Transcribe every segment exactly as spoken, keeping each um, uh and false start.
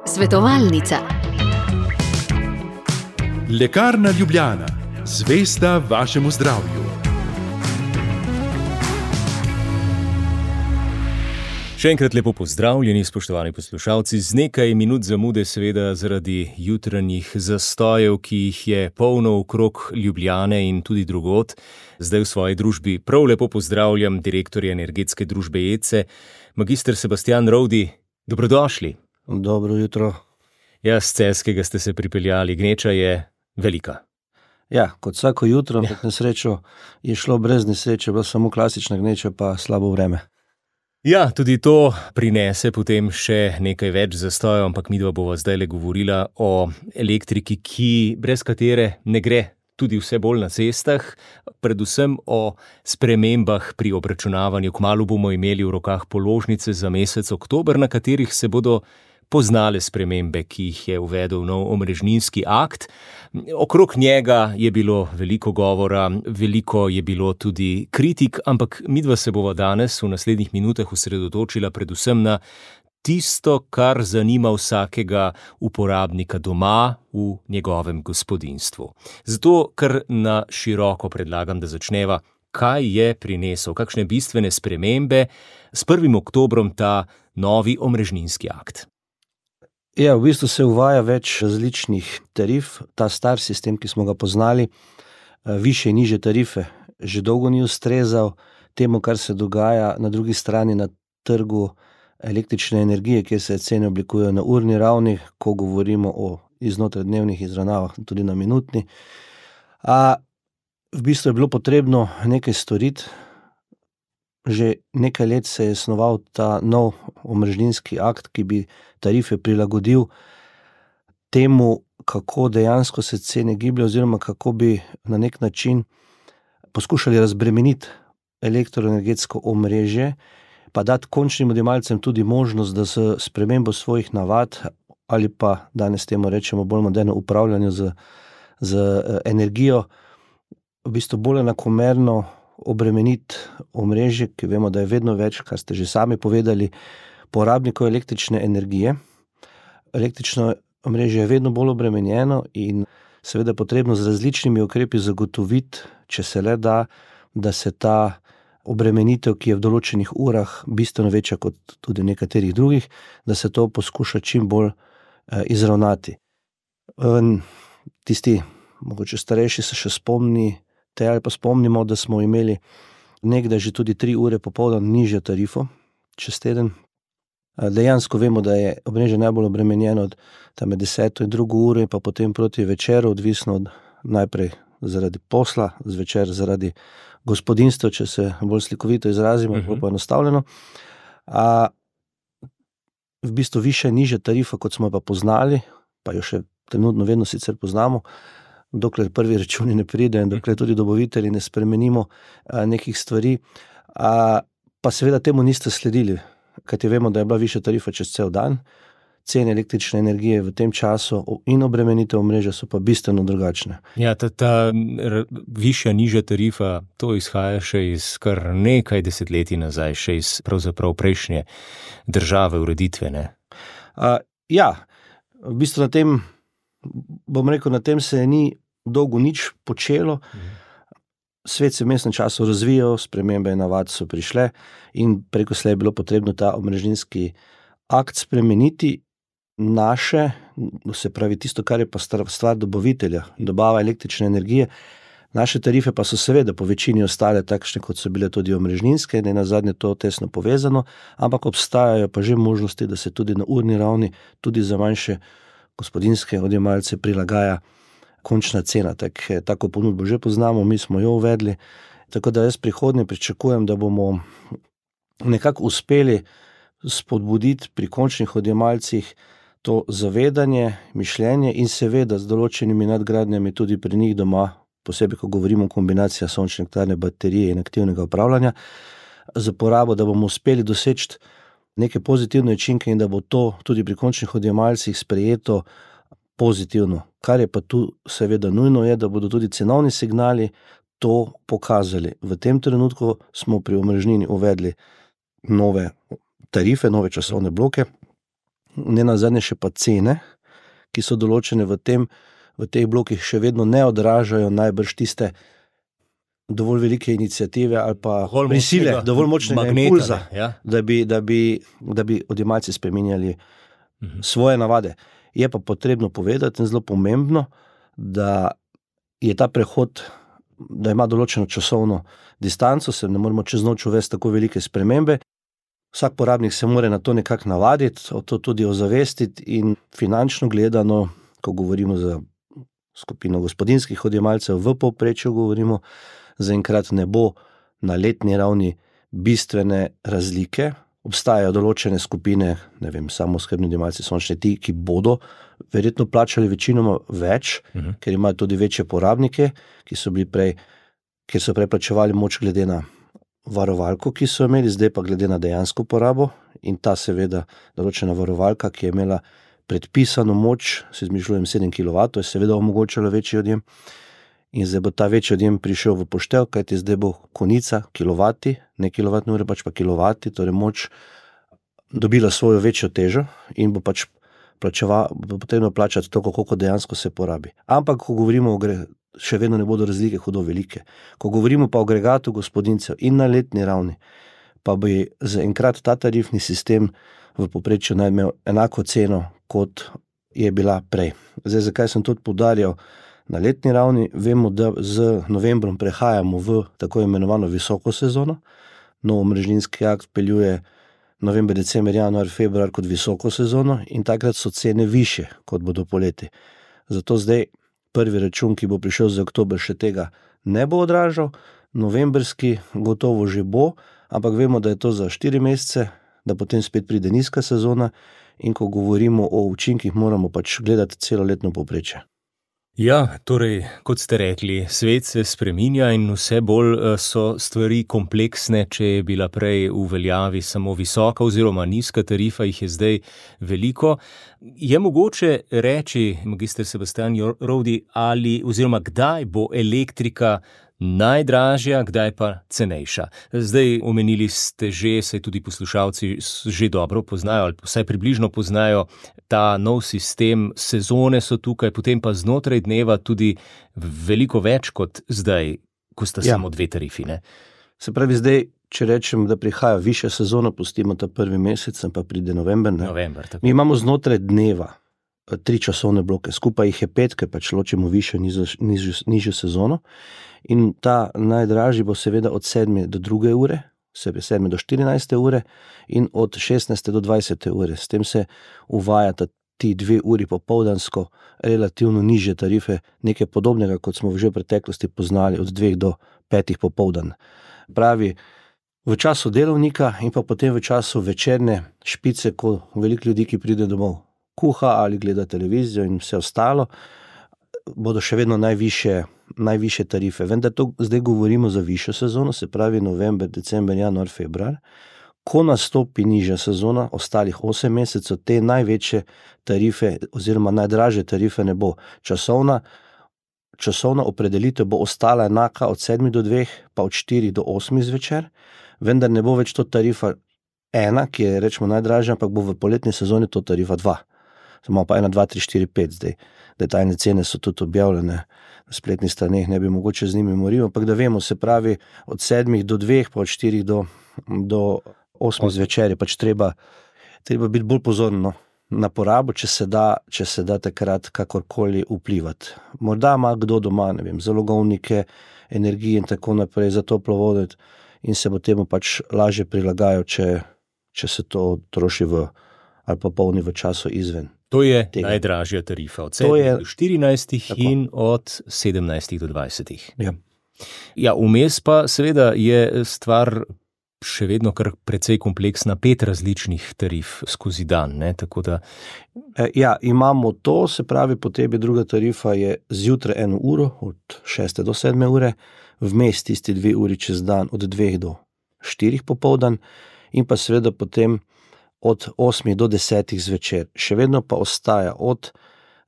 Svetovalnica. Lekarna Ljubljana, zvesta vašemu zdravju. Še enkrat lepo pozdravljeni, spoštovani poslušalci, z nekaj minut zamude seveda zaradi jutranjih zastojev, ki jih je polno okrog Ljubljane in tudi drugod. Zdaj v svoji družbi prav lepo pozdravljam direktorja energetske družbe E C E, magister Sebastijan Rovdi. Dobrodošli. Dobro jutro. Ja, z Celjskega ste se pripeljali, gneča je velika. Ja, kot vsako jutro, ampak na srečo je šlo brez nesreče, bila samo klasična gneča pa slabo vreme. Ja, tudi to prinese potem še nekaj več zastojev, ampak midva bova zdajle govorila o elektriki, ki brez katere ne gre, tudi vse bolj na cestah, predvsem o spremembah pri obračunavanju. Kmalu bomo imeli v rokah položnice za mesec oktober, na katerih se bodo poznale spremembe, ki jih je uvedel nov omrežninski akt. Okrog njega je bilo veliko govora, veliko je bilo tudi kritik, ampak midva se bova danes v naslednjih minutah osredotočila predvsem na tisto, kar zanima vsakega uporabnika doma v njegovem gospodinjstvu. Zato, kar na široko predlagam, da začneva, kaj je prinesel, kakšne bistvene spremembe s prvim oktobrom ta novi omrežninski akt. Ja, v bistvu se uvaja več različnih tarif. Ta star sistem, ki smo ga poznali, više in nižje tarife, že dolgo ni ustrezal temu, kar se dogaja na drugi strani na trgu električne energije, kjer se cene oblikujejo na urni ravni, ko govorimo o iznotradnevnih izravnavah, tudi na minutni. A v bistvu je bilo potrebno nekaj storiti. Že nekaj let se je snoval ta nov omrežninski akt, ki bi tarife prilagodil temu, kako dejansko se cene gibljajo, oziroma kako bi na nek način poskušali razbremeniti elektroenergetsko omrežje, pa dati končnim odjemalcem tudi možnost, da s spremembo svojih navad ali pa danes temu rečemo bolj moderno upravljanje z, z energijo, v bistvu bolj enakomerno obremeniti omrežje, ki vemo, da je vedno več, kar ste že sami povedali, porabnikov električne energije. Električno omrežje je vedno bolj obremenjeno in seveda potrebno z različnimi ukrepi zagotoviti, če se le da, da se ta obremenitev, ki je v določenih urah bistveno večja kot tudi v nekaterih drugih, da se to poskuša čim bolj eh, izravnati. Um, tisti, mogoče starejši se še spomni, te ali pa spomnimo, da smo imeli nekdaj že tudi tri ure popoldan nižjo tarifo čez teden. Dejansko vemo, da je omrežje najbolj obremenjeno od tam deseto in drugo uro in pa potem proti večeru, odvisno od najprej zaradi posla, zvečer zaradi gospodinjstva, če se bolj slikovito izrazimo, uh-huh. bolj poenostavljeno. A v bistvu višja nižja tarifa, kot smo pa poznali, pa jo še trenutno vedno sicer poznamo, dokler prvi računi ne pride in dokler tudi dobavitelji ne spremenimo a, nekih stvari, a, pa seveda temu niste sledili, kajti vemo, da je bila višja tarifa čez cel dan, cene električne energije v tem času in obremenitev omrežja so pa bistveno drugačne. Ja, ta, ta r, višja, nižja tarifa, to izhaja še iz kar nekaj desetletij nazaj, še iz pravzaprav prejšnje države, ureditve, ne? A, ja, v bistvu na tem bom rekel, na tem se ni dolgo nič počelo. Svet se v vmesnem času razvijal, spremembe navad so prišle in preko slej je bilo potrebno ta omrežninski akt spremeniti. Naše, se pravi tisto, kar je pa stvar dobavitelja, dobava električne energije, naše tarife pa so seveda po večini ostale takšne, kot so bile tudi omrežninske, ne nazadnje to tesno povezano, ampak obstajajo pa že možnosti, da se tudi na urni ravni, tudi za manjše gospodinjske odjemalce prilagaja končna cena. Tak, tako ponudbo že poznamo, mi smo jo uvedli, tako da jaz prihodnje pričakujem, da bomo nekako uspeli spodbuditi pri končnih odjemalcih to zavedanje, mišljenje in seveda z določenimi nadgradnjami tudi pri njih doma, posebej, ko govorimo o kombinaciji sončne elektrarne, baterije in aktivnega upravljanja, za porabo, da bomo uspeli doseči neke pozitivne učinke in da bo to tudi pri končnih odjemalcih sprejeto pozitivno. Kar je pa tu seveda nujno je, da bodo tudi cenovni signali to pokazali. V tem trenutku smo pri omrežnini uvedli nove tarife, nove časovne bloke, ne nazadnje še pa cene, ki so določene v tem, v teh blokih še vedno ne odražajo najbrž tiste dovolj velike iniciative ali pa Dovolj prisile, močnega dovolj močnega magneta, impulza, ne, ja. da bi, da bi, da bi odjemalci spreminjali Mhm. svoje navade. Je pa potrebno povedati in zelo pomembno, da je ta prehod, da ima določeno časovno distanco, se ne moremo čez noč uvesti tako velike spremembe. Vsak porabnik se mora na to nekako navaditi, o to tudi ozavestiti in finančno gledano, ko govorimo za skupino gospodinjskih odjemalcev, v povprečju govorimo, zaenkrat ne bo na letni ravni bistvene razlike. Obstajajo določene skupine, ne vem, samooskrbni odjemalci, sončne ti, ki bodo verjetno plačali večinoma več, Mhm. ker imajo tudi večje porabnike, ki so bili prej, ker so prej plačevali moč glede na varovalko, ki so imeli, zdaj pa glede na dejansko porabo, in ta seveda določena varovalka, ki je imela predpisano moč, se izmišljujem sedem kilovatov, je seveda omogočala večji odjem, in zdaj bo ta večji odjem prišel v poštev, kajti zdaj bo konica kilovati, ne kilovatne ure, pač pa kilovati, torej moč dobila svojo večjo težo in bo pač plačeva, bo potrebno plačati toliko, koliko dejansko se porabi. Ampak, ko govorimo o gre, še vedno ne bodo razlike hudo velike. Ko govorimo pa o agregatu gospodinjcev in na letni ravni, pa bi zaenkrat ta tarifni sistem v povprečju naj imel enako ceno, kot je bila prej. Zdaj, zakaj sem tudi poudarjal na letni ravni? Vemo, da z novembrom prehajamo v tako imenovano visoko sezono. Nov omrežninski akt peljuje november, december, januar, februar kot visoko sezono in takrat so cene višje, kot bodo poleti. Zato zdaj prvi račun, ki bo prišel za oktober, še tega ne bo odražal, novemberski gotovo že bo, ampak vemo, da je to za štiri mesece, da potem spet pride nizka sezona in ko govorimo o učinkih, moramo pač gledati celoletno povprečje. Ja, torej, kot ste rekli, svet se spreminja in vse bolj eh, so stvari kompleksne. Če je bila prej v veljavi samo visoka oziroma nizka tarifa, jih je zdaj veliko. Je mogoče reči, magister Sebastian Rovdi, ali oziroma kdaj bo elektrika najdražja, kdaj pa cenejša? Zdaj omenili ste že, saj tudi poslušalci že dobro poznajo ali vsaj približno poznajo ta nov sistem, sezone so tukaj, potem pa znotraj dneva tudi veliko več kot zdaj, ko sta Ja. samo dve tarifi, ne? Se pravi, zdaj, če rečem, da prihaja višja sezona, pustimo ta prvi mesec, pa pride november. Ne? November, tako. Mi imamo znotraj dneva eh, tri časovne bloke, skupaj jih je pet, ker pač ločimo višjo in nižjo, nižjo, nižjo sezono. In ta najdražji bo seveda od sedme do druge ure, se pravi sedme do štirinajste ure in od šestnajste do dvajsete ure. S tem se uvajata ti dve uri popoldansko relativno nižje tarife, nekaj podobnega, kot smo že v preteklosti poznali od dveh do petih popoldan. Pravi, v času delovnika in pa potem v času večerne špice, ko veliko ljudi, ki pride domov, kuha ali gleda televizijo in vse ostalo, bodo še vedno najvišje, najvišje tarife. Vendar to zdaj govorimo za višjo sezono, se pravi november, december, januar, februar. Ko nastopi nižja sezona, ostalih osem mesecev, te največje tarife oziroma najdražje tarife ne bo. Časovna, časovna opredelitev bo ostala enaka od sedmih do dveh, pa od štirih do osmih zvečer, vendar ne bo več to tarifa ena, ki je rečemo najdražja, ampak bo v poletni sezoni to tarifa dva. Samo pa ena, dva, tri, štiri, pet zdaj. Detaljne cene so tudi objavljene na spletnih straneh, ne bi mogoče z njimi moril, ampak da vemo, se pravi od sedmih do dveh, pa od štirih do, do osmih zvečer je pač treba, treba biti bolj pozorno na porabo, če se da, če se da takrat kakorkoli vplivati. Morda ima kdo doma, ne vem, zalogovnike, energije in tako naprej za toplo vodo in se bo temu pač lažje prilagajal, če, če se to troši v, ali pa polni v času izven. To je Tega. najdražja tarifa, od To sedmih je- do štirinajstih Tako. in od sedemnajstih do dvajsetih. Ja. Ja, vmes pa seveda je stvar še vedno kar precej kompleksna, pet različnih tarif skozi dan, ne, tako da E, Ja, imamo to, se pravi, potem je druga tarifa je zjutraj eno uro, od šeste do sedme ure, vmes tisti dve uri čez dan, od dveh do štirih popoldan, in pa seveda potem od osmih do desetih zvečer. Še vedno pa ostaja od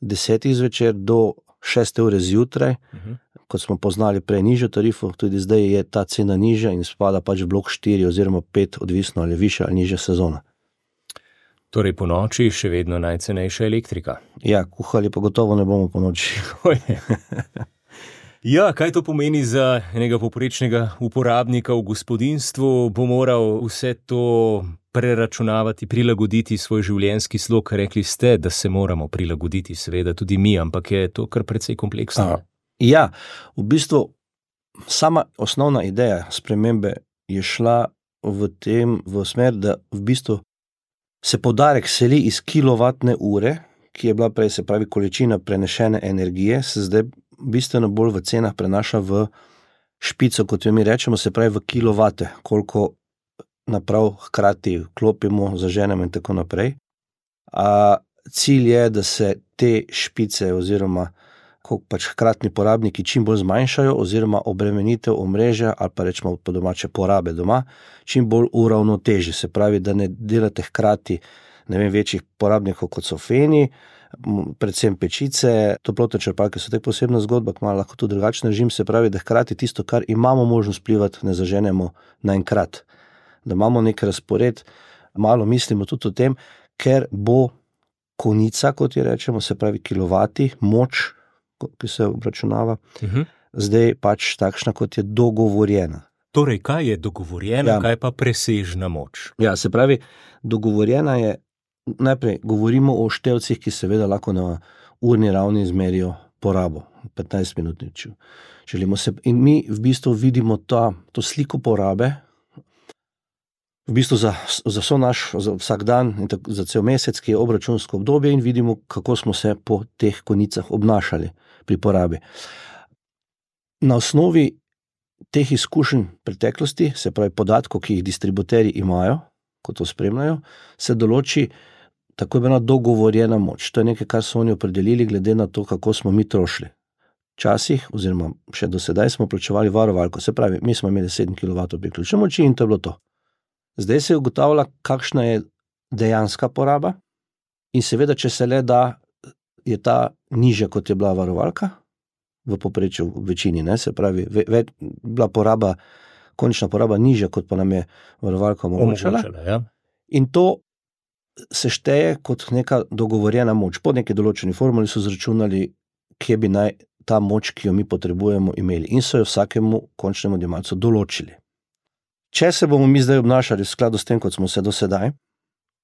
desetih zvečer do šeste ure zjutraj, Mhm. kot smo poznali prej nižjo tarifo, tudi zdaj je ta cena nižja in spada pač v blok štiri oziroma pet, odvisno ali je višja ali nižja sezona. Torej po noči še vedno najcenejša elektrika. Ja, kuhali pa gotovo ne bomo po noči. Ja, kaj to pomeni za enega poprečnega uporabnika v gospodinjstvu? Bo moral vse to preračunavati, prilagoditi svoj življenjski slog. Rekli ste, da se moramo prilagoditi, seveda tudi mi, ampak je to kar precej kompleksno. Ja, v bistvu sama osnovna ideja spremembe je šla v tem, v smer, da v bistvu se poudarek seli iz kilovatne ure, ki je bila prej, se pravi količina prenešene energije, se zdaj bistveno bolj v cenah prenaša v špico, kot jo mi rečemo, se pravi v kilovate, koliko naprav hkrati klopimo, zaženemo in tako naprej. A cilj je, da se te špice oziroma koliko pač hkratni porabniki čim bolj zmanjšajo oziroma obremenitev omrežja ali pa rečemo po domače porabe doma, čim bolj uravnoteži. Se pravi, da ne delate hkrati ne vem, večjih porabnikov kot so feni, predvsem pečice, toplotne črpalke so tako posebna zgodba, ki ima lahko tudi drugačen režim, se pravi, da hkrati tisto, kar imamo možnost vplivati, ne zaženemo naenkrat. Da imamo nek razpored, malo mislimo tudi o tem, ker bo konica, kot jo rečemo, se pravi kilovati, moč, ki se obračunava, uh-huh. zdaj pač takšna, kot je dogovorjena. Torej, kaj je dogovorjena, ja. Kaj pa presežna moč? Ja, se pravi, dogovorjena je, najprej govorimo o števcih, ki seveda lahko na urni ravni izmerijo porabo, petnajst minut nič. Želimo se, in mi v bistvu vidimo ta, to sliko porabe, v bistvu za, za vso naš, za vsak dan in tako, za cel mesec, ki je obračunsko obdobje in vidimo, kako smo se po teh konicah obnašali pri porabi. Na osnovi teh izkušenj preteklosti, se pravi podatkov, ki jih distributerji imajo, ko to spremljajo, se določi tako imenovana dogovorjena moč. To je nekaj, kar so oni opredelili glede na to, kako smo mi trošili. Včasih, oziroma še do sedaj smo plačevali varovalko, se pravi, mi smo imeli sedem kilovatov priključne moči in to je bilo to. Zdaj se ugotavlja, kakšna je dejanska poraba in seveda, če se le da, je ta nižja, kot je bila varovalka, v povprečju v večini, ne, se pravi, ve, ve, bila poraba, končna poraba nižja, kot pa nam je varovalka omogočala. Ja. In to se šteje kot neka dogovorjena moč. Po neki določeni formuli so zračunali, kje bi naj ta moč, ki jo mi potrebujemo, imeli. In so jo vsakemu končnemu odjemalcu določili. Če se bomo mi zdaj obnašali v skladu s tem, kot smo se do sedaj,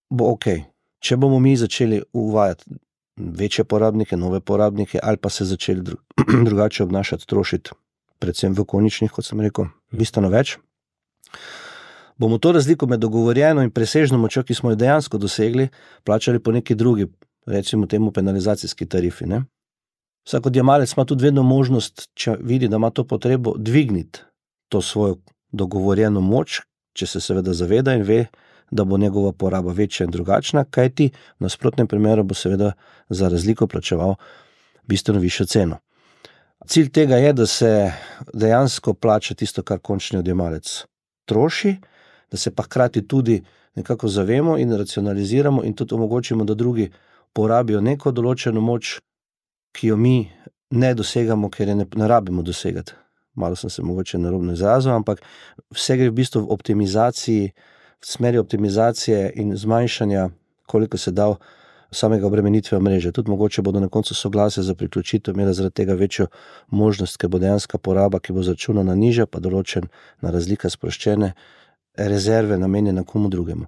bo ok. Če bomo mi začeli uvajati večje porabnike, nove porabnike, ali pa se začeli dru- drugače obnašati, trošiti, predvsem v koničnih, kot sem rekel, bistveno več, bomo to razliko med dogovorjeno in presežno močjo, ki smo jo dejansko dosegli, plačali po neki drugi, recimo temu penalizacijski tarifi. Ne? Vsak odjemalec ima tudi vedno možnost, če vidi, da ima to potrebo, dvigniti to svojo dogovorjeno moč, če se seveda zaveda in ve, da bo njegova poraba večja in drugačna, kajti v nasprotnem primeru bo seveda za razliko plačeval bistveno višjo ceno. Cilj tega je, da se dejansko plača tisto, kar končni odjemalec troši, da se pa hkrati tudi nekako zavemo in racionaliziramo in tudi omogočimo, da drugi porabijo neko določeno moč, ki jo mi ne dosegamo, ker je ne, ne rabimo dosegati. Malo sem se mogoče narobno izrazil, ampak vse gre v bistvu v optimizaciji, v smeri optimizacije in zmanjšanja, koliko se da samega obremenitve mreže. Tudi mogoče bodo na koncu soglasje za priključitev imela zaradi tega večjo možnost, ker bo dejanska poraba, ki bo zračunana nižja, pa določena razlika sproščene rezerve namenjene komu drugemu.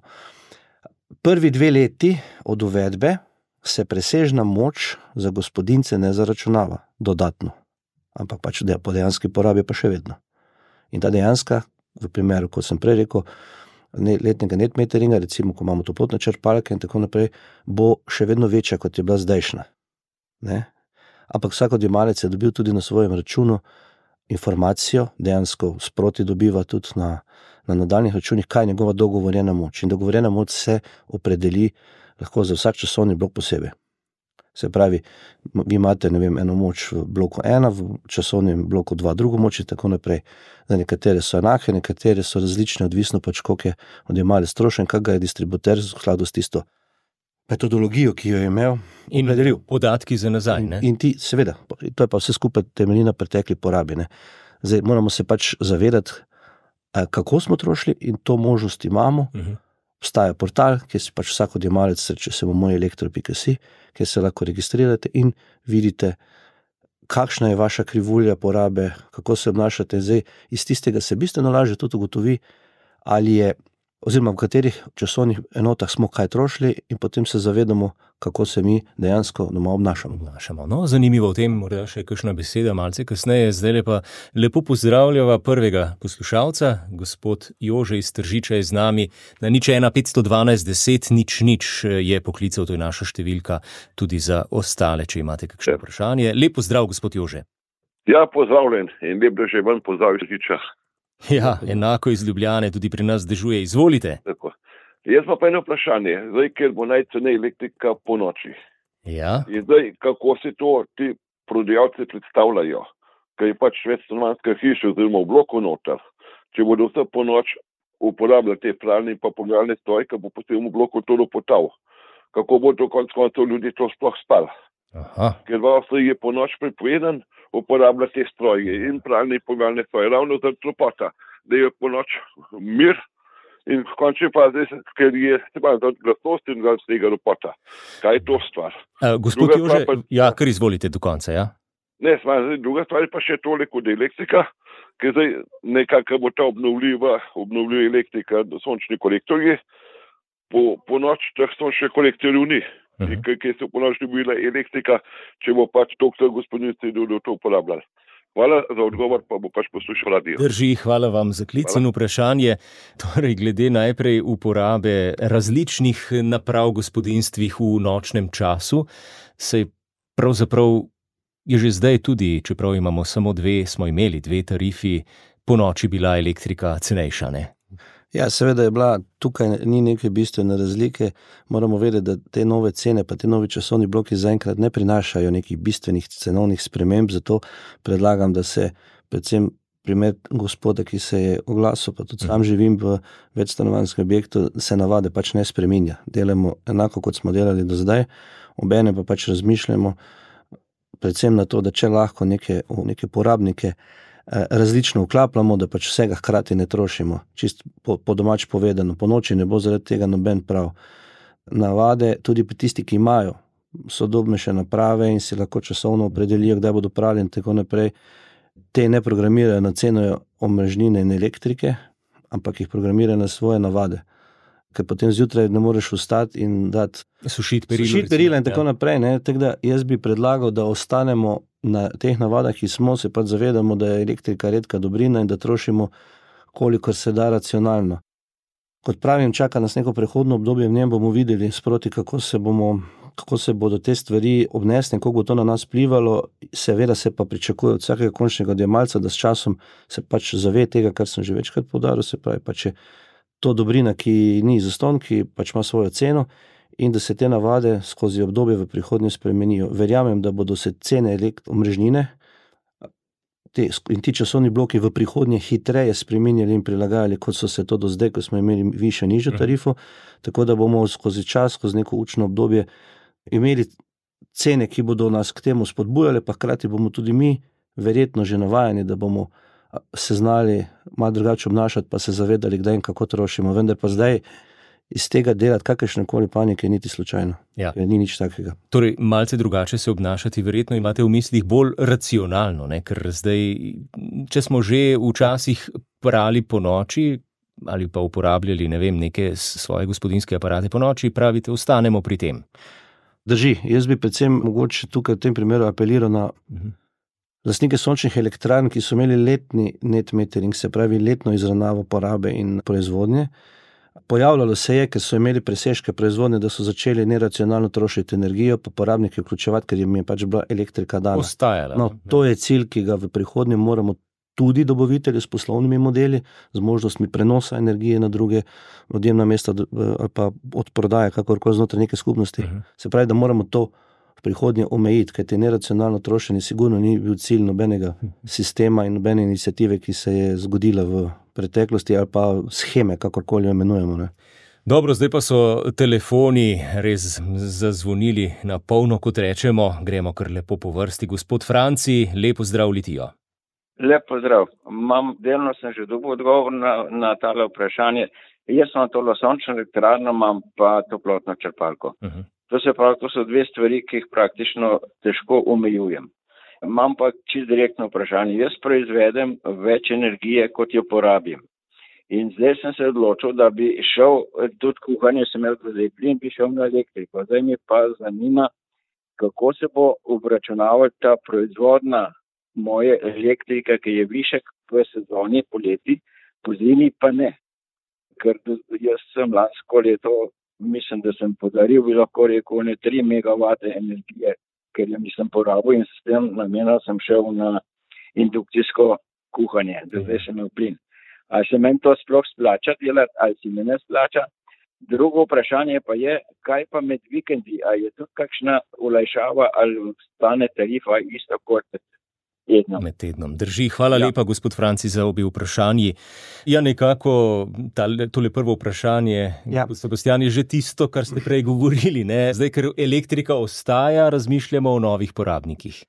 Prvi dve leti od uvedbe se presežna moč za gospodinjce ne zaračunava dodatno. Ampak pač po dejanski porabi pa še vedno. In ta dejanska, v primeru, kot sem prej rekel, letnega net meteringa, recimo, ko imamo toplotne črpalke in tako naprej, bo še vedno večja, kot je bila zdajšnja. Ne? Ampak vsak odjemalec je dobil tudi na svojem računu informacijo, dejansko sproti dobiva tudi na, na nadaljnih računih, kaj je njegova dogovorjena moč. In dogovorjena moč se opredeli lahko za vsak časovni blok posebej. Se pravi, vi imate, ne vem, eno moč v bloku ena, v časovnem bloku dva drugo moč in tako naprej. Zdaj, nekatere so enake, nekatere so različne, odvisno pač, koliko je odjemalec strošen, kak ga je distributer v skladu s tisto metodologijo, ki jo je imel in opredelil. Podatki za nazaj, ne? In, in ti, seveda, to je pa vse skupaj temelji na pretekli porabi, ne. Zdaj, moramo se pač zavedati, kako smo trošili in to možnost imamo, uh-huh. Obstaja portal, kjer si pač vsak odjemalec srče se bo moj elektro pika si, kjer se lahko registrirate in vidite, kakšna je vaša krivulja porabe, kako se obnašate. Zdaj, iz tistega se bistveno lažje tudi ugotovi, ali je, oziroma v katerih časovnih enotah smo kaj trošili in potem se zavedamo, kako se mi dejansko doma obnašamo. obnašamo. No, zanimivo v tem, morda še kakšna beseda malce kasneje, zdaj pa lepo pozdravljava prvega poslušalca, gospod Jože iz Tržiča je z nami, na nič ena petsto dvanajst deset nič nič je poklical, to je naša številka tudi za ostale, če imate kakšno vprašanje. Lep pozdrav, gospod Jože. Ja, pozdravljen in lep, da že ven pozdrav iz Tržiča. Ja, enako iz Ljubljane, tudi pri nas dežuje. Izvolite. Tako. Jaz pa pa eno vprašanje, zdaj, ker bo najcenej elektrika po noči. Ja. In zdaj, kako se to ti prodajalci predstavljajo, ker je pač večstanovanjska hiša oziroma v bloku noter. Če bodo vse po noč uporabljali te pralne in pa pomivalne stroje, ker bo potem v bloku to lopotal. Kako bo to konec koncev ljudi to sploh spal? Aha. Ker v Avstriji je po noč prepovedan uporabljati te stroje in pralne in pomivalne stroje, ravno zaradi topota, da je po noč mir in v končni fazi, ker je zaradi glasnosti in zaradi tega ropota. Kaj je to stvar? Uh, gospod Druga Jože, stvar pa- ja, kar izvolite do konca, ja. Ne, stvar, zdaj, druga stvar je pa še toliko da elektrika, ker zdaj nekako bo ta obnovljiva, obnovljiva elektrika, sončni kolektorji, po, po noč teh sončnih kolektorjev ni. Mhm. Ker ker se po noč ne bo bila elektrika, če bo pač toliko gospodinjstv to uporabljali. Hvala za odgovor, pa bo pač poslušal radio. Drži, hvala vam za klic in vprašanje. Torej, glede najprej uporabe različnih naprav v gospodinjstvih v nočnem času, se pravzaprav je že zdaj tudi, čeprav imamo samo dve, smo imeli dve tarifi, po noči bila elektrika cenejša, ne? Ja, seveda je bila, tukaj ni neke bistvene razlike, moramo vedeti, da te nove cene pa te novi časovni bloki zaenkrat ne prinašajo nekih bistvenih cenovnih sprememb, zato predlagam, da se predvsem primer gospoda, ki se je oglasil, pa tudi sam živim v večstanovanjskem objektu, se navade pač ne spreminja. Delamo enako, kot smo delali do zdaj, obene pa pač razmišljamo predvsem na to, da če lahko neke, neke porabnike različno vklapljamo, da pač vsega hkrati ne trošimo. Čist po, po domač povedano, po noči ne bo zaradi tega noben prav. Navade, tudi pri tisti, ki imajo sodobnejše naprave in si lahko časovno opredelijo, kdaj bodo prali in tako naprej, te ne programirajo na ceno omrežnine in elektrike, ampak jih programirajo na svoje navade. Ker potem zjutraj ne moreš vstati in dati Sušiti perilo. sušiti perila in tako ja. naprej. Ne? Tako da jaz bi predlagal, da ostanemo na teh navadah, ki smo, se pa zavedamo, da je elektrika redka dobrina in da trošimo, kolikor se da racionalno. Kot pravim, čaka nas neko prehodno obdobje, v njem bomo videli sproti, kako se bomo, kako se bodo te stvari obnesle in kako bo to na nas vplivalo. Seveda se pa pričakuje od vsakega končnega odjemalca, da s časom se pač zave tega, kar sem že večkrat poudaril, se pravi, pač je to dobrina, ki ni zastonj, ki pač ima svojo ceno, in da se te navade skozi obdobje v prihodnje spremenijo. Verjamem, da bodo se cene omrežnine te, in ti časovni bloki v prihodnje hitreje spremenjali in prilagajali, kot so se to do zdaj, ko smo imeli višjo nižjo tarifo, tako da bomo skozi čas, skozi neko učno obdobje imeli cene, ki bodo nas k temu spodbujale, pa hkrati bomo tudi mi verjetno že navajeni, da bomo se znali malo drugače obnašati, pa se zavedali, kdaj in kako trošimo. Vendar pa zdaj iz tega delati kakršnekoli panike niti slučajno. Ja. Ni nič takega. Torej, malce drugače se obnašati, verjetno imate v mislih bolj racionalno, ne? Ker zdaj, če smo že včasih prali po noči ali pa uporabljali, ne vem, neke svoje gospodinjske aparate po noči, pravite, ostanemo pri tem. Drži, jaz bi predvsem mogoče tukaj v tem primeru apeliral na uh-huh. lastnike sončnih elektrarn, ki so imeli letni net metering, se pravi letno izravnavo porabe in proizvodnje. Pojavljalo se je, ker so imeli presežke proizvodnje, da so začeli neracionalno trošiti energijo, pa porabnike vključevati, ker jim je pač bila elektrika dana. Ostajala. No, to je cilj, ki ga v prihodnje moramo tudi dobavitelji s poslovnimi modeli, z možnostmi prenosa energije na druge odjemna mesta ali pa od prodaje, kakorkoli znotraj neke skupnosti. Uh-huh. Se pravi, da moramo to v prihodnje omejiti, ker te neracionalno trošenje sigurno ni bil cilj nobenega sistema in nobene iniciative, ki se je zgodila v preteklosti ali pa sheme, kakorkoli jo imenujemo. Ne. Dobro, zdaj pa so telefoni res zazvonili na polno, kot rečemo. Gremo kar lepo po vrsti. Gospod Franci, lepo zdrav Litijo. Lep pozdrav. Mam, delno sem že dobil odgovor na, na tale vprašanje. Jaz sem tole sončno elektrarno, imam pa toplotno črpalko. Uh-huh. To se pravi, to so dve stvari, ki jih praktično težko omejujem. Imam pa čisto direktno vprašanje. Jaz proizvedem več energije, kot jo porabim. In zdaj sem se odločil, da bi šel, tudi kuhanje sem imel zdaj plin, bi šel na elektriko. Zdaj mi pa zanima, kako se bo obračunavala ta proizvodna moje elektrika, ki je višek v sezoni poleti, po zimi pa ne. Ker jaz sem lansko leto, mislim, da sem podaril, bi lahko rekel, ne tri megavate energije, ker jo nisem porabil in s tem namenom sem šel na indukcijsko kuhanje, da zdaj sem imel plin. Ali se meni to sploh splača delati, ali se mi ne splača? Drugo vprašanje pa je, kaj pa med vikendi, ali je tudi kakšna olajšava, ali stane tarifa isto kot tednom. Med tednom. Drži. Hvala ja. lepa, gospod Franci, za obi vprašanji. Ja, nekako tale, tole prvo vprašanje, ja. gospod Sebastian, je že tisto, kar ste prej govorili. Ne? Zdaj, ker elektrika ostaja, razmišljamo o novih porabnikih.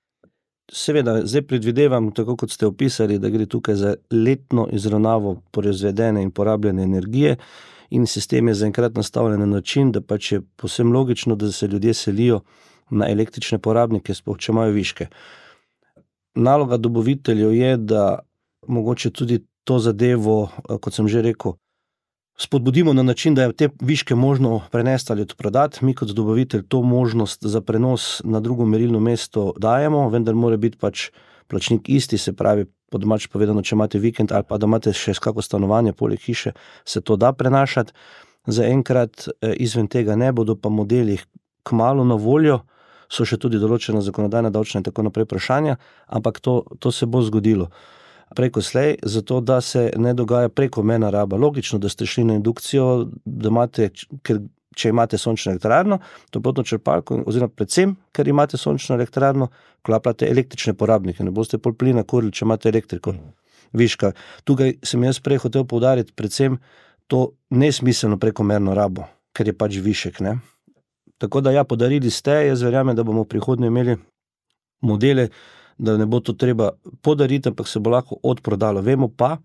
Seveda, zdaj predvidevam, tako kot ste opisali, da gre tukaj za letno izravnavo proizvedene in porabljene energije in sistem je zaenkrat nastavljen na način, da pač je povsem logično, da se ljudje selijo na električne porabnike, sploh če imajo viške. Naloga dobaviteljev je, da mogoče tudi to zadevo, kot sem že rekel, spodbudimo na način, da je te viške možno prenesti ali odprodati. Mi kot dobavitelj to možnost za prenos na drugo merilno mesto dajemo, vendar mora biti pač plačnik isti, se pravi, po domače povedano, če imate vikend ali pa da imate še kako stanovanje poleg hiše, se to da prenašati. Zaenkrat izven tega ne, bodo pa modeli kmalu na voljo, so še tudi določena zakonodajna, davčna in tako naprej vprašanja, ampak to, to se bo zgodilo preko slej, zato da se ne dogaja prekomerna raba. Logično, da ste šli na indukcijo, da imate, ker, če imate sončno elektrarno, toplotno črpalko, oziroma predvsem, ker imate sončno elektrarno, klapljate električne porabnike, ne boste pol plina kurili, če imate elektriko. Viška. Tukaj sem jaz prej hotel poudariti predvsem to nesmiselno prekomerno rabo, ker je pač višek, ne. Tako da ja, podarili ste, jaz verjamem, da bomo v prihodnje imeli modele, da ne bo to treba podariti, ampak se bo lahko odprodalo. Vemo pa,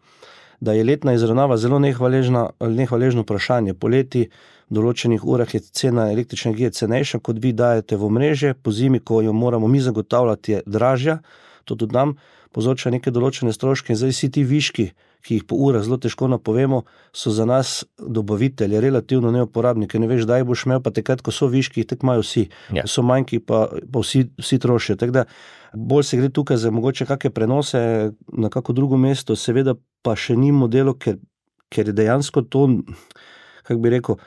da je letna izravnava zelo nehvaležna, nehvaležno vprašanje. Poleti v določenih urah je cena električne energije cenejša, kot vi dajete v omrežje, po zimi, ko jo moramo mi zagotavljati, je dražja, to tudi nam povzroča neke določene stroške in zdaj vsi ti viški, ki jih po urah zelo težko napovemo, so za nas dobavitelje relativno neuporabnike. Ne veš, daj boš imel, pa takrat, ko so viški, tako imajo vsi. Ja. So manjki, pa, pa vsi, vsi trošijo. Tako da bolj se gre tukaj za mogoče kakšne prenose na kako drugo mesto, seveda pa še ni modelo, ker, ker je dejansko to, kako bi rekel,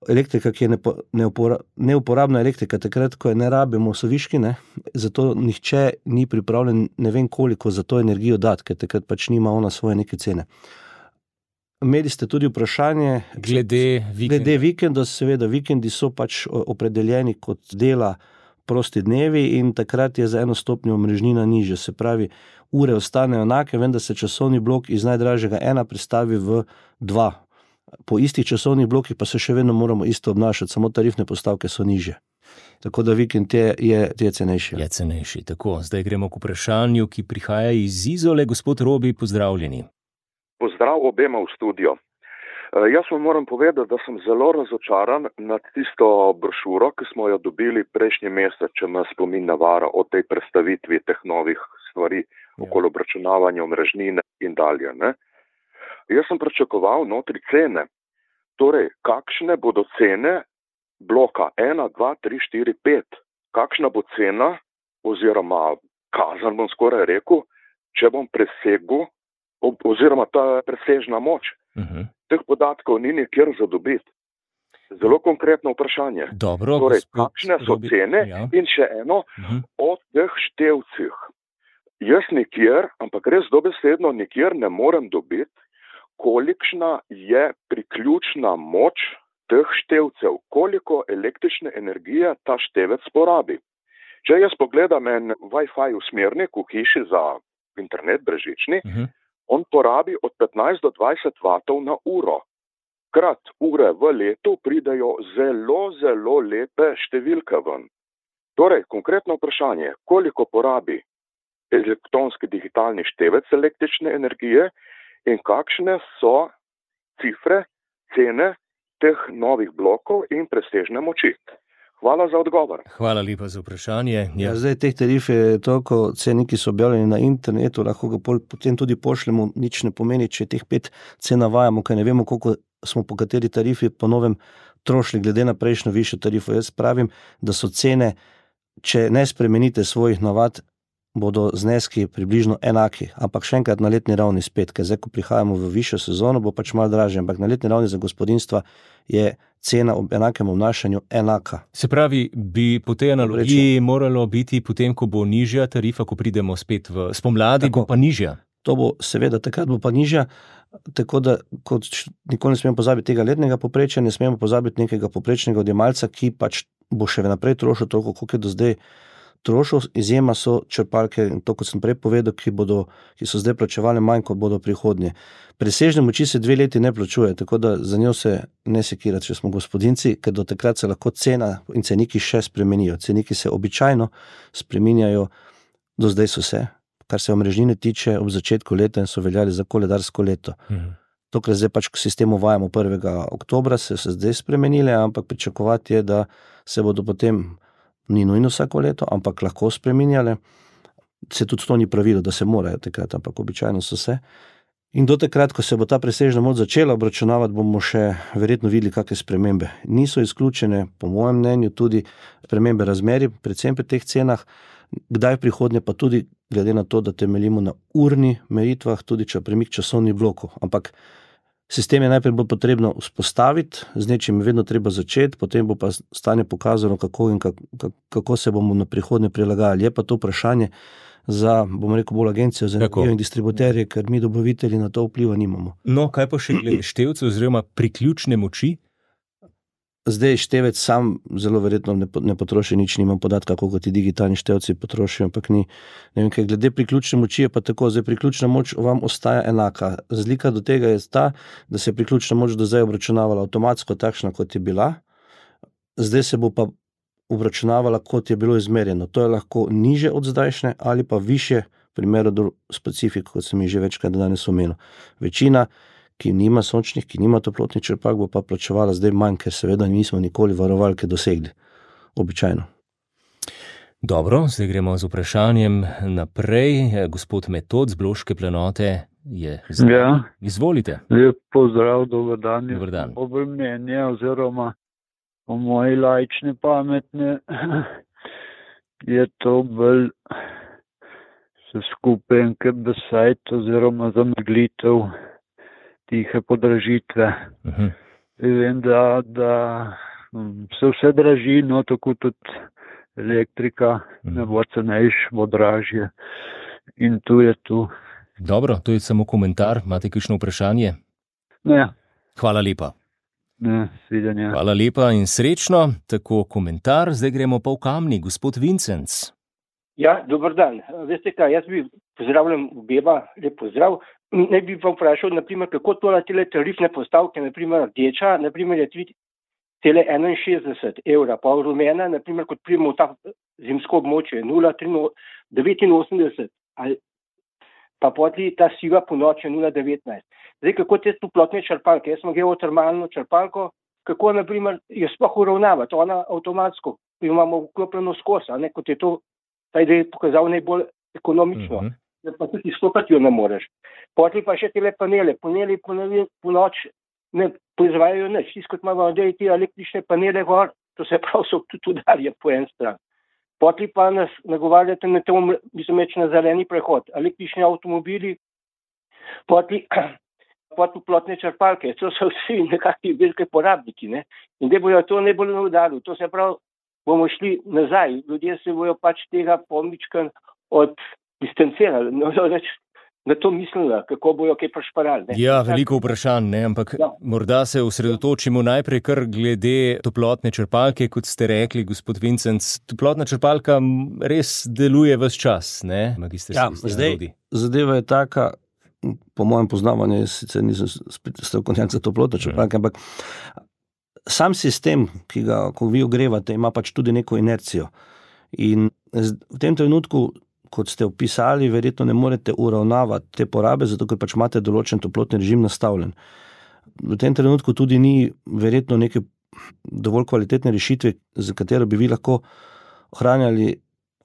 elektrika, ki je nepo, neupora, neuporabna elektrika, takrat, ko je ne rabimo, so viški, ne? Zato nihče ni pripravljen ne vem koliko za to energijo dati, ker takrat pač nima ona svoje neke cene. Imeli ste tudi vprašanje glede vikenda. Glede vikenda, seveda vikendi so pač opredeljeni kot dela prosti dnevi in takrat je za eno stopnjo omrežnina nižja, se pravi, ure ostanejo enake, vendar se časovni blok iz najdražjega ena prestavi v dva. Po istih časovnih blokih pa se še vedno moramo isto obnašati, samo tarifne postavke so nižje. Tako da vikend je, je, je cenejši. Je cenejši, tako. Zdaj gremo k vprašanju, ki prihaja iz Izole. Gospod Robi, pozdravljeni. Pozdrav obema v studio. Jaz vam moram povedati, da sem zelo razočaran nad tisto brošuro, ki smo jo dobili prejšnji mesec, če me spomin navara, o tej predstavitvi teh novih stvari, ja. Okoli obračunavanja omrežnine in dalje, ne. Jaz sem pričakoval notri cene, torej kakšne bodo cene bloka ena, dva, tri, štiri, pet, kakšna bo cena oziroma kazan bom skoraj rekel, če bom presegel oziroma ta presežna moč. Uh-huh. Teh podatkov ni nikjer za dobiti. Zelo konkretno vprašanje. Dobro, torej, gospod, kakšne so Robi, cene ja. In še eno uh-huh. o teh števcih. Jaz nikjer, ampak res dobesedno nikjer ne morem dobiti, kolikšna je priključna moč teh števcev, koliko električne energije ta števec porabi. Če jaz pogledam en Wi-Fi usmernik v hiši za internet brežični, uh-huh. on porabi od petnajst do dvajset vatov na uro. Krat ure v letu pridejo zelo, zelo lepe številke ven. Torej, konkretno vprašanje, koliko porabi elektronski digitalni števec električne energije in kakšne so cifre cene teh novih blokov in presežne moči? Hvala za odgovor. Hvala lepa za vprašanje. Ja. Ja, zdaj teh tarif je toliko, cene, ki so objavljeni na internetu, lahko ga pol, potem tudi pošljemo, nič ne pomeni, če teh pet cen navajamo, ker ne vemo, koliko smo po kateri tarifi po novem trošili, glede na prejšnjo višjo tarifo. Jaz pravim, da so cene, če ne spremenite svojih navad, bodo zneski približno enaki, ampak še enkrat na letni ravni spet, ker zdaj, ko prihajamo v višjo sezono, bo pač malo dražje, ampak na letni ravni za gospodinjstva je cena ob enakem obnašanju enaka. Se pravi, bi po tej analogiji moralo biti potem, ko bo nižja tarifa, ko pridemo spet v spomladi, Tako. bo pa nižja. To bo seveda, takrat bo pa nižja, tako da kot nikoli ne smemo pozabiti tega letnega poprečja, ne smemo pozabiti nekega poprečnega odjemalca, ki pač bo še naprej trošil toliko, koliko je do zdaj trošil. Izjema so črpalke, to kot sem prej povedal, ki, bodo, ki so zdaj plačevali manj, kot bodo prihodnje. Presežne moči se dve leti ne plačuje, tako da za njo se ne sekirati, če smo gospodinci, ker do takrat se lahko cena in ceniki še spremenijo. Ceniki se običajno spreminjajo, do zdaj so se, kar se omrežnine tiče, ob začetku leta in so veljali za koledarsko leto. Mhm. To, kar zdaj pač sistem uvajamo prvega oktobra, se se zdaj spremenile, ampak pričakovati je, da se bodo potem, ni nujno vsako leto, ampak lahko spreminjale. Se tudi to ni pravilo, da se morajo takrat, ampak običajno so se. In do takrat, ko se bo ta presežna moč začela obračunavati, bomo še verjetno videli kakšne spremembe. Niso izključene, po mojem mnenju, tudi spremembe razmerij, predvsem pri teh cenah, kdaj v prihodnje pa tudi glede na to, da temeljimo na urni meritvah, tudi če premik časovnih blokov. Ampak sistem je najprej bolj potrebno vzpostaviti, z nečim je vedno treba začeti, potem bo pa stanje pokazalo, kako in kako, kako se bomo na prihodnje prilagajali. Je pa to vprašanje za, bomo rekel, bolj agencijo za energijo in distributerje, ker mi dobavitelji na to vpliva nimamo. No, kaj pa še glede števcev oziroma priključne moči? Zdaj števec sam zelo verjetno ne, ne potroši nič, nimam podatka, koliko ti digitalni števci potrošijo, ampak ni. Ne vem, kaj glede priključne moči je pa tako, zdaj priključna moč vam ostaja enaka. Razlika do tega je ta, da se je priključna moč do zdaj obračunavala avtomatsko takšna, kot je bila, zdaj se bo pa obračunavala, kot je bilo izmerjeno. To je lahko niže od zdajšnje ali pa više, v primeru do specifik, kot sem jih že večkrat danes omenil. Večina, ki nima sončnih, ki nima toplotnih črpalk, bo pa plačevala zdaj manj, ker seveda nismo nikoli varovalke dosegli. Običajno. Dobro, zdaj gremo z vprašanjem naprej. Gospod Metod z Bloške planote je zdaj. Ja. Izvolite. Lep pozdrav, dober dan. Dober dan. Dober mnenje oziroma po moji laične pametne je to bolj se skupaj enkrat besajt oziroma zameglitev tihe podražitve. Uh-huh. Vem, da, da se vse draži, no tako tudi elektrika, uh-huh. ne bo cenejš, bo dražje. In tu je tu. Dobro, to je samo komentar. Imate kakšno vprašanje? Ne. Hvala lepa. Ne, svidenja. Hvala lepa in srečno. Tako komentar. Zdaj gremo pa v Kamnik. Gospod Vincenc. Ja, dober dan. Veste kaj, jaz bi pozdravljam obema, lep pozdrav. Ne bi pa vprašal, naprimer, kako tole tele tarifne postavke, naprimer rdeča, naprimer je tri cela enainšestdeset evra, pa rumena, naprimer, kot pridemo v ta zimsko območje, nula cela devetinosemdeset, ali pa potli ta siva ponoč je nula cela devetnajst. Zdaj, kako te toplotne črpalke, jaz sem geotermalno črpalko, kako, naprimer, jo sploh uravnavati, ona avtomatsko, jo imamo vklopljeno skozi, a ne, kot je to, taj da je pokazal najbolj ekonomično. Uh-huh. Pa tudi izstopati jo ne moreš. Potli pa še tele panele. Paneli po noč ne proizvajajo nič. Tisto, kot imamo zdaj te električne panele gor, to se prav so tudi udarje po en stran. Potli pa nas nagovarjate na tem, mislim, reč na zeleni prehod. Električni avtomobili, potli toplotne črpalke. To so vsi nekakvi velike porabniki. Ne? In da bojo to najbolj udarili. To se prav bomo šli nazaj. Ljudje se bojo pač tega pomičkan od distancirali, no, reč, na to mislila, kako bojo kaj prešparali. Ja, veliko vprašanj, ne, ampak ja. Morda se osredotočimo najprej kar glede toplotne črpalke, kot ste rekli, gospod Vincenc. Toplotna črpalka res deluje ves čas, ne? Magister ja, zdaj, zadeva je taka, po mojem poznavanju, sicer nisem strokovnjak za toplotno črpalke, ampak sam sistem, ki ga, ko vi ogrevate, ima pač tudi neko inercijo. In v tem trenutku, kot ste opisali, verjetno ne morete uravnavati te porabe, zato ker pač imate določen toplotni režim nastavljen. v tem trenutku tudi ni verjetno neke dovolj kvalitetne rešitve, za katero bi vi lahko ohranjali,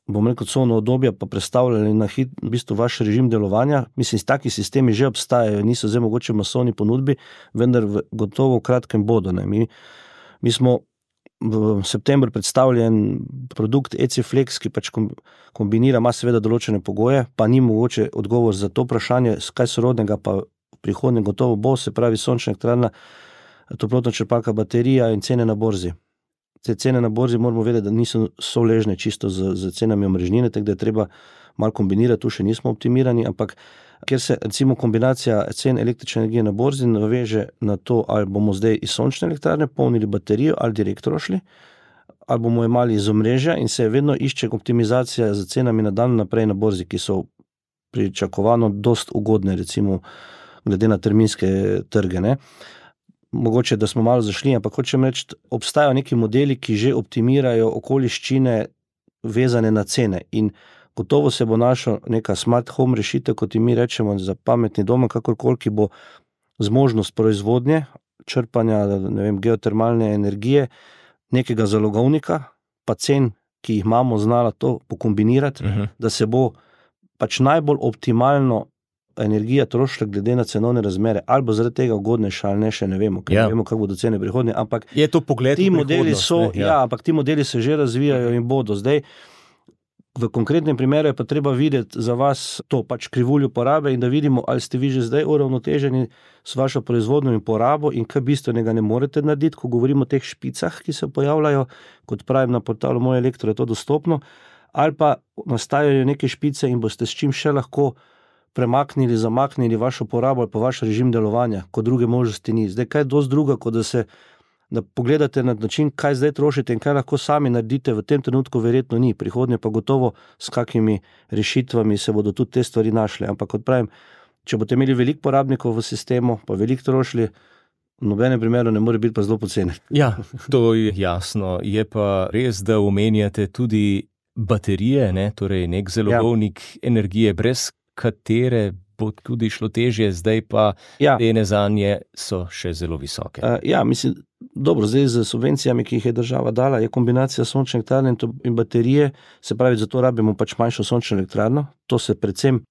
bom rekel, covno obdobje, pa predstavljali na hit, v bistvu vaš režim delovanja. Mislim, taki sistemi že obstajajo, niso zdaj mogoče v masovni ponudbi, vendar v, gotovo v kratkem bodo. Ne. Mi, mi smo v septembru predstavljen produkt E C Flex, ki pač kombinira, ima seveda določene pogoje, pa ni mogoče odgovor za to vprašanje, kaj sorodnega pa v prihodnje gotovo bo, se pravi sončna elektrarna, toplotna črpalka, baterija in cene na borzi. Te cene na borzi moramo vedeti, da niso soležne čisto z, z cenami omrežnine, tako da je treba malo kombinirati, tu še nismo optimirani, ampak ker se recimo kombinacija cen električne energije na borzi naveže na to, ali bomo zdaj iz sončne elektrarne polnili baterijo ali direkt rošli, ali bomo imeli iz omrežja in se vedno išče optimizacija z cenami na dan naprej na borzi, ki so pričakovano dost ugodne, recimo glede na terminske trge, ne. Mogoče, da smo malo zašli, ampak hočem reči, obstajajo neki modeli, ki že optimirajo okoliščine vezane na cene in gotovo se bo našla neka smart home rešitev, kot mi rečemo, za pametni dom, kakorkoli, ki bo zmožnost proizvodnje, črpanja, ne vem, geotermalne energije, nekega zalogovnika, pa cen, ki jih imamo, znala to pokombinirati, uh-huh. da se bo pač najbolj optimalno energija trošila glede na cenovne razmere, ali bo zaradi tega ugodnejša ali ne, še ne vemo, ker ja. ne vemo, kako bodo cene prihodnje, ampak je to pogled ti v modeli so, ja. ja, ampak ti modeli se že razvijajo in bodo. Zdaj, v konkretnem primeru je pa treba videti za vas to pač krivuljo porabe in da vidimo, ali ste vi že zdaj uravnoteženi s vašo proizvodnjo in porabo in kaj bistvenega ne morete narediti, ko govorimo o teh špicah, ki se pojavljajo, kot pravim na portalu Moj Elektro je to dostopno, ali pa nastajajo neke špice in boste s čim še lahko premaknili, zamaknili vašo porabo ali pa vaš režim delovanja, ko druge možnosti ni. Zdaj, kaj je dosti druga, kot da se da pogledate na način, kaj zdaj trošite in kaj lahko sami naredite, v tem trenutku verjetno ni, prihodnje pa gotovo s kakimi rešitvami se bodo tudi te stvari našle. Ampak kot pravim, če boste imeli veliko porabnikov v sistemu, pa veliko trošili, v nobenem primeru ne more biti pa zelo poceni. Ja, to je jasno. Je pa res, da omenjate tudi baterije, ne? Torej nek zalogovnik ja. energije, brez katere bo tudi šlo težje, zdaj pa ja. cene zanje so še zelo visoke. Uh, ja, mislim, dobro, zdaj z subvencijami, ki jih je država dala, je kombinacija sončne elektrarne in baterije, se pravi, zato rabimo pač manjšo sončno elektrarno, to se predvsem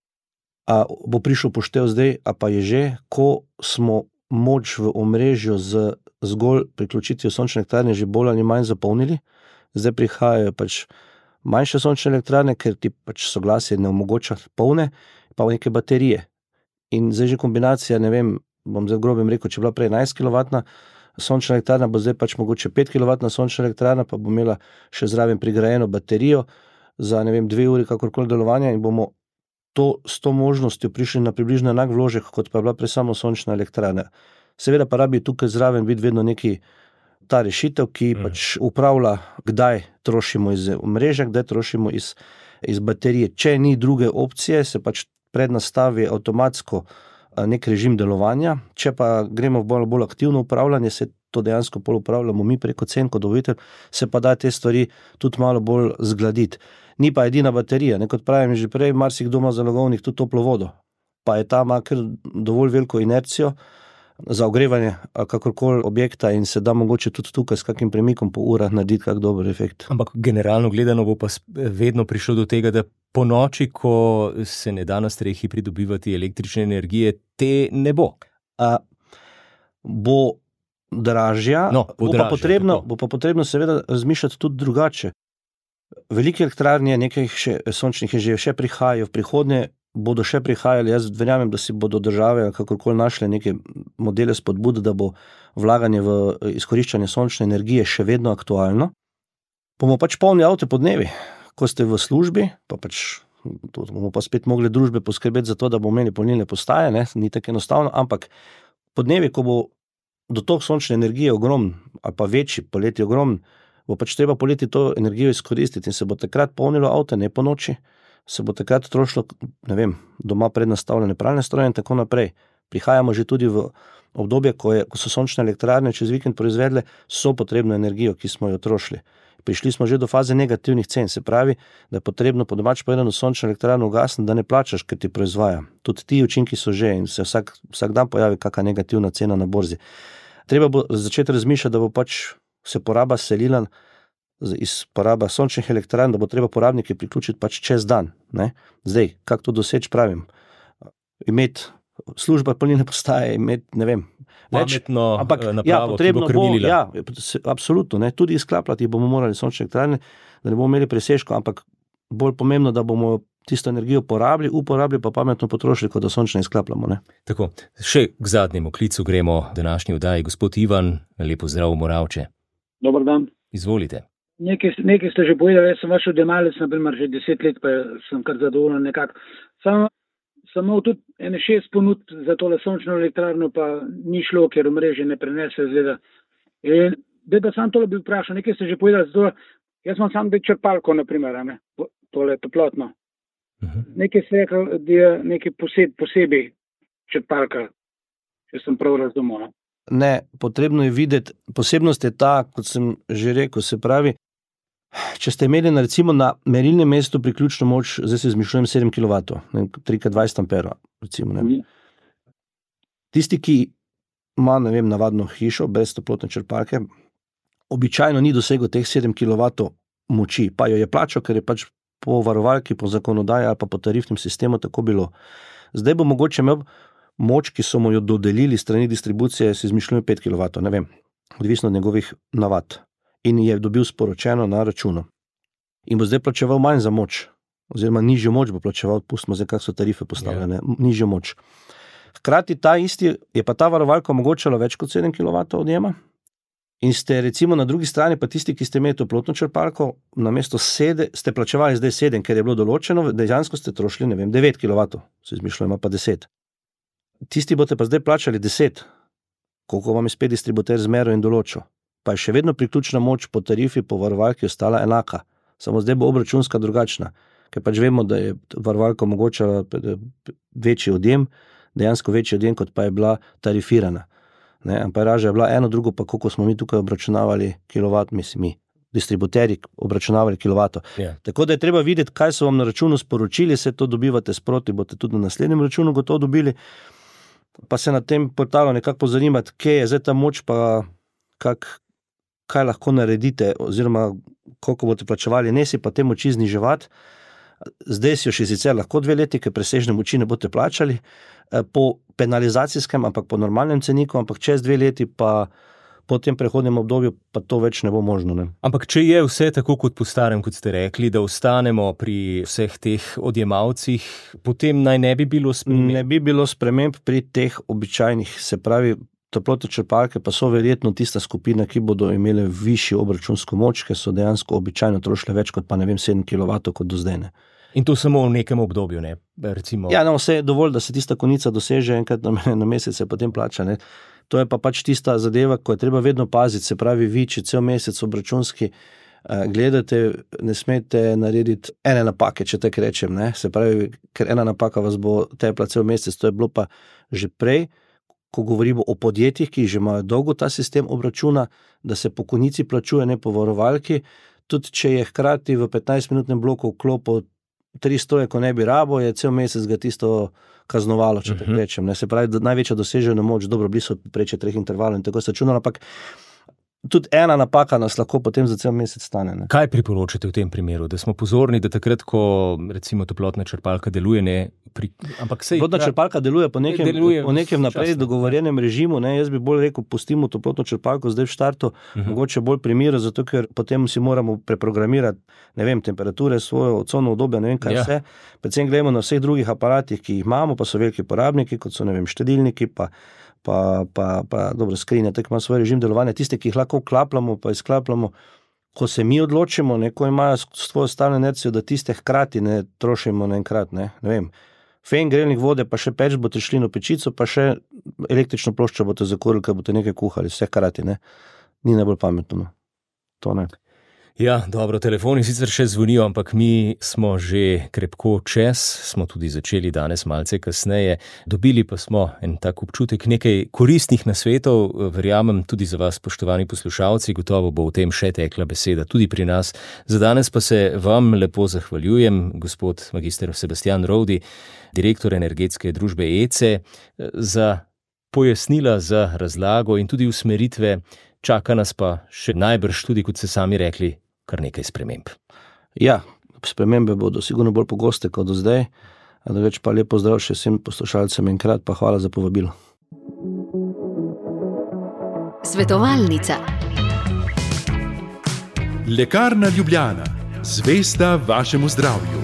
a, bo prišel poštev zdaj, a pa je že, ko smo moč v omrežju z zgolj priključitvijo sončne elektrarne že bolj ali manj zapolnili, zdaj prihajajo pač manjše sončne elektrarne, ker ti pač soglasje ne omogoča polne, pa neke baterije. In zdaj že kombinacija, ne vem, bom zdaj grobem rekel, če bila prej enajst kilovatna sončna elektrarna, bo zdaj pač mogoče pet kilovatna sončna elektrarna, pa bo imela še zraven prigrajeno baterijo za, ne vem, dve uri kakorkoli delovanja in bomo to, s to možnostjo prišli na približno enak vložek, kot pa je bila prej samo sončna elektrarna. Seveda pa rabi tukaj zraven biti vedno neki ta rešitev, ki mm. pač upravlja, kdaj trošimo iz omrežja, kdaj trošimo iz, iz baterije. Če ni druge opcije, se pač prednastavi avtomatsko nek režim delovanja. Če pa gremo v bolj, bolj aktivno upravljanje, se to dejansko pol upravljamo mi preko cen kot dobavitelj, se pa da te stvari tudi malo bolj zgladiti. Ni pa edina baterija, ne, kot pravim že prej, marsikdo ima zalogovnik tudi toplo vodo, pa je ta ima kar dovolj veliko inercijo za ogrevanje kakorkoli objekta in se da mogoče tudi tukaj s kakim premikom po urah narediti kak dober efekt. Ampak generalno gledano bo pa vedno prišlo do tega, da po noči, ko se ne da na strehi pridobivati električne energije, te ne bo. A, bo dražja, no, bo, bo, dražja pa potrebno, bo pa potrebno seveda razmišljati tudi drugače. Velike elektrarnje, nekaj še, sončnih je že še prihajajo, v prihodnje bodo še prihajali, jaz verjamem, da si bodo države kakorkoli našle neke modele spodbud, da bo vlaganje v izkoriščanje sončne energije še vedno aktualno. Bomo pač polni avte po dnevi, ko ste v službi, pa pač to bomo pa spet mogli družbe poskrbeti za to, da bomo imeli polnilne postaje, ne, ni tako enostavno, ampak po dnevi, ko bo dotok sončne energije ogromen, ali pa večji, poleti ogromen, bo pač treba poleti to energijo izkoristiti in se bo takrat polnilo avte, ne po noči, se bo takrat trošilo, ne vem, doma prednastavljene pralne stroje in tako naprej. prihajamo že tudi v obdobje, ko, je, ko so sončne elektrarne čez vikend proizvedle so potrebno energijo, ki smo jo trošili. Prišli smo že do faze negativnih cen, se pravi, da je potrebno po domač povedano sončno elektrarno ugasniti, da ne plačaš, ker ti proizvaja. Tudi ti učinki so že in se vsak, vsak dan pojavi kakšna negativna cena na borzi. Treba bo začeti razmišljati, da bo pač se poraba selila iz poraba sončnih elektrarn, da bo treba porabniki priključiti pač čez dan. Ne? Zdaj, kako to doseči, pravim, imeti služba polnilne postaje, imeti, ne vem, pametno ampak, napravo, ja, potrebno ki bo krmilila. Ja, absolutno, ne, tudi izklapljati bomo morali sončne elektrarne, da ne bomo imeli presežkov, ampak bolj pomembno, da bomo tisto energijo porabili, uporabili pa pametno potrošili, kot da sončno izklapljamo. Ne. Tako, še k zadnjemu klicu gremo v današnji oddaji. Gospod Ivan, lepo zdrav v Moravče. Dobar dan. Izvolite. Nekaj, nekaj ste že povedali, jaz sem vaš odjemalec, naprimer, že deset let, pa sem kar zadovoljen nekako. Samo Samo tudi ene šest ponud za tole sončno elektrarno pa ni šlo, ker omrežje ne prenese zgleda. In da pa sam tole bi vprašal, nekaj ste že povedali, zato jaz imam sam črpalko, naprimer, ne, tole toplotno. Uh-huh. Nekaj ste rekel, da je nekaj poseb, posebej črpalka, če sem prav razumel. Ne, potrebno je videti, posebnost je ta, kot sem že rekel, se pravi, če ste imeli na, recimo na merilnem mestu priključno moč, zdaj se izmišljujem sedem kilovatov, tri krat dvajset amperov, recimo, ne. Tisti, ki ima, ne vem, navadno hišo brez toplotne črpalke, običajno ni dosegel teh sedem kilovatov moči, pa jo je plačal, ker je pač po varovalki, po zakonodaji ali pa po tarifnem sistemu tako bilo. Zdaj bo mogoče imel moč, ki so mu jo dodelili strani distribucije, se izmišljujem pet kilovatov, ne vem, odvisno od njegovih navad. In je dobil sporočeno na računu. In bo zdaj plačeval manj za moč, oziroma nižjo moč bo plačeval, pustimo zdaj, kako so tarife postavljene, yeah. nižjo moč. Hkrati ta isti, je pa ta varovalka omogočala več kot sedem kilovatov odjema in ste recimo na drugi strani pa tisti, ki ste imeli toplotno črpalko, namesto sedem, ste plačevali zdaj sedem, ker je bilo določeno, dejansko ste trošili, ne vem, devet kilovatov, se izmišljujemo pa deset. Tisti boste pa zdaj plačali deset, koliko vam je spet distributer zmeril in določil. Pa je še vedno priključna moč po tarifi, po varovalki ostala enaka. Samo zdaj bo obračunska drugačna, ker pač vemo, da je varovalka omogočala večji odjem, dejansko večji odjem, kot pa je bila tarifirana. Ne, amperaža je bila eno, drugo pa koliko smo mi tukaj obračunavali kilovat, mislim mi, distributeri obračunavali kilovato. Yeah. Tako da je treba videti, kaj so vam na računu sporočili, se to dobivate sproti, boste tudi na naslednjem računu gotovo dobili, pa se na tem portalu nekako pozanimati, kje je zdaj ta moč, pa kak kaj lahko naredite, oziroma koliko boste plačevali, ne si pa te moči zniževati. Zdaj si jo še sicer lahko dve leti, ker presežne moči ne boste plačali po penalizacijskem, ampak po normalnem ceniku, ampak čez dve leti pa po tem prehodnem obdobju pa to več ne bo možno. Ne? Ampak če je vse tako kot po starem, kot ste rekli, da ostanemo pri vseh teh odjemalcih, potem naj ne bi bilo sprememb? Ne bi bilo sprememb pri teh običajnih, se pravi, toplotne črpalke pa so verjetno tista skupina, ki bodo imeli višjo obračunsko moč, ker so dejansko običajno trošile več kot pa ne vem sedem kilovatov kot do zdaj. Ne. In to samo v nekem obdobju, ne? Recimo... Ja, no, vse je dovolj, da se tista konica doseže enkrat na, na mesec, se potem plača. Ne. To je pa pač tista zadeva, ko je treba vedno paziti, se pravi, vi, če cel mesec obračunski eh, gledate, ne smete narediti ene napake, če tako rečem, ne. Se pravi, ker ena napaka vas bo tepla cel mesec, to je bilo pa že prej, ko govorimo o podjetjih, ki že imajo dolgo ta sistem obračuna, da se po konici plačuje, ne po varovalki, tudi če je hkrati v petnajstminutnem bloku vklopil tristo, ko ne bi rabo, je cel mesec ga tisto kaznovalo, če tako rečem. Ne. Se pravi, da največja dosežena moč, dobro, blizu preče treh intervalov in tako se računalo, ampak tudi ena napaka nas lahko potem za cel mesec stane. Ne. Kaj priporočate v tem primeru? Da smo pozorni, da takrat, ko recimo toplotna črpalka deluje, ne, pri... ampak sej... Toplotna črpalka deluje po nekem, deluje po nekem naprej dogovorjenem režimu, ne, jaz bi bolj rekel, pustimo toplotno črpalko zdaj v štartu, uh-huh. mogoče bolj pri miru, zato ker potem si moramo preprogramirati, ne vem, temperature, svojo cono obdobje, ne vem kaj ja. Vse. Predvsem gledamo na vseh drugih aparatih, ki jih imamo, pa so veliki porabniki, kot so, ne vem, štedilniki, pa pa, pa, pa dobro, skrinja, tako ima svoj režim delovanja, tiste, ki jih lahko vklapljamo, pa izklapljamo, ko se mi odločimo, neko imajo svojo stalno inercijo, da tiste hkrati ne trošimo naenkrat, ne, ne vem, fen, grelnik vode, pa še peč boste šli na pečico, pa še električno ploščo boste zakurili, ker boste nekaj kuhali, vse hkrati, ne, ni najbolj pametno, no. To ne. Ja, dobro, telefoni sicer še zvonijo, ampak mi smo že krepko čez, smo tudi začeli danes malce kasneje. Dobili pa smo en tak občutek nekaj koristnih nasvetov, verjamem tudi za vas, spoštovani poslušalci, gotovo bo v tem še tekla beseda tudi pri nas. Za danes pa se vam lepo zahvaljujem, gospod magister Sebastijan Rovdi, direktor energetske družbe E C E, za pojasnila, za razlago in tudi usmeritve. Čaka nas pa še najbrž tudi, kot ste sami rekli, kar nekaj sprememb. Ja, spremembe bodo sigurno bolj pogoste kot do zdaj. Več pa lepo zdrav še vsem poslušalcem enkrat, pa hvala za povabilo. Svetovalnica. Lekarna Ljubljana. Zvesta vašemu zdravju.